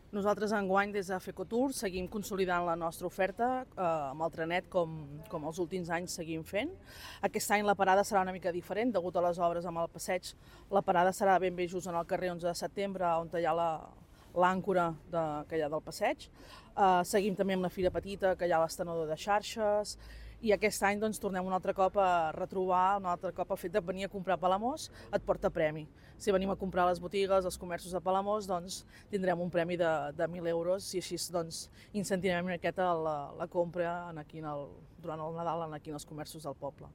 Nosaltres enguany des de FECOTUR seguim consolidant la nostra oferta amb el trenet com els últims anys seguim fent. Aquest any la parada serà una mica diferent, degut a les obres amb el passeig. La parada serà ben bé just en el carrer 11 de setembre, on hi ha l'àncora que hi ha del passeig. Seguim també amb la Fira Petita, que hi ha l'estenedor de xarxes, i aquest any doncs, tornem un altre cop a retrobar, un altre cop el fet de venir a comprar a Palamós et porta premi. Si venim a comprar a les botigues, als comerços de Palamós, doncs tindrem un premi de 1.000 euros i així doncs, incentivem una miqueta la compra durant el Nadal aquí en els comerços del poble.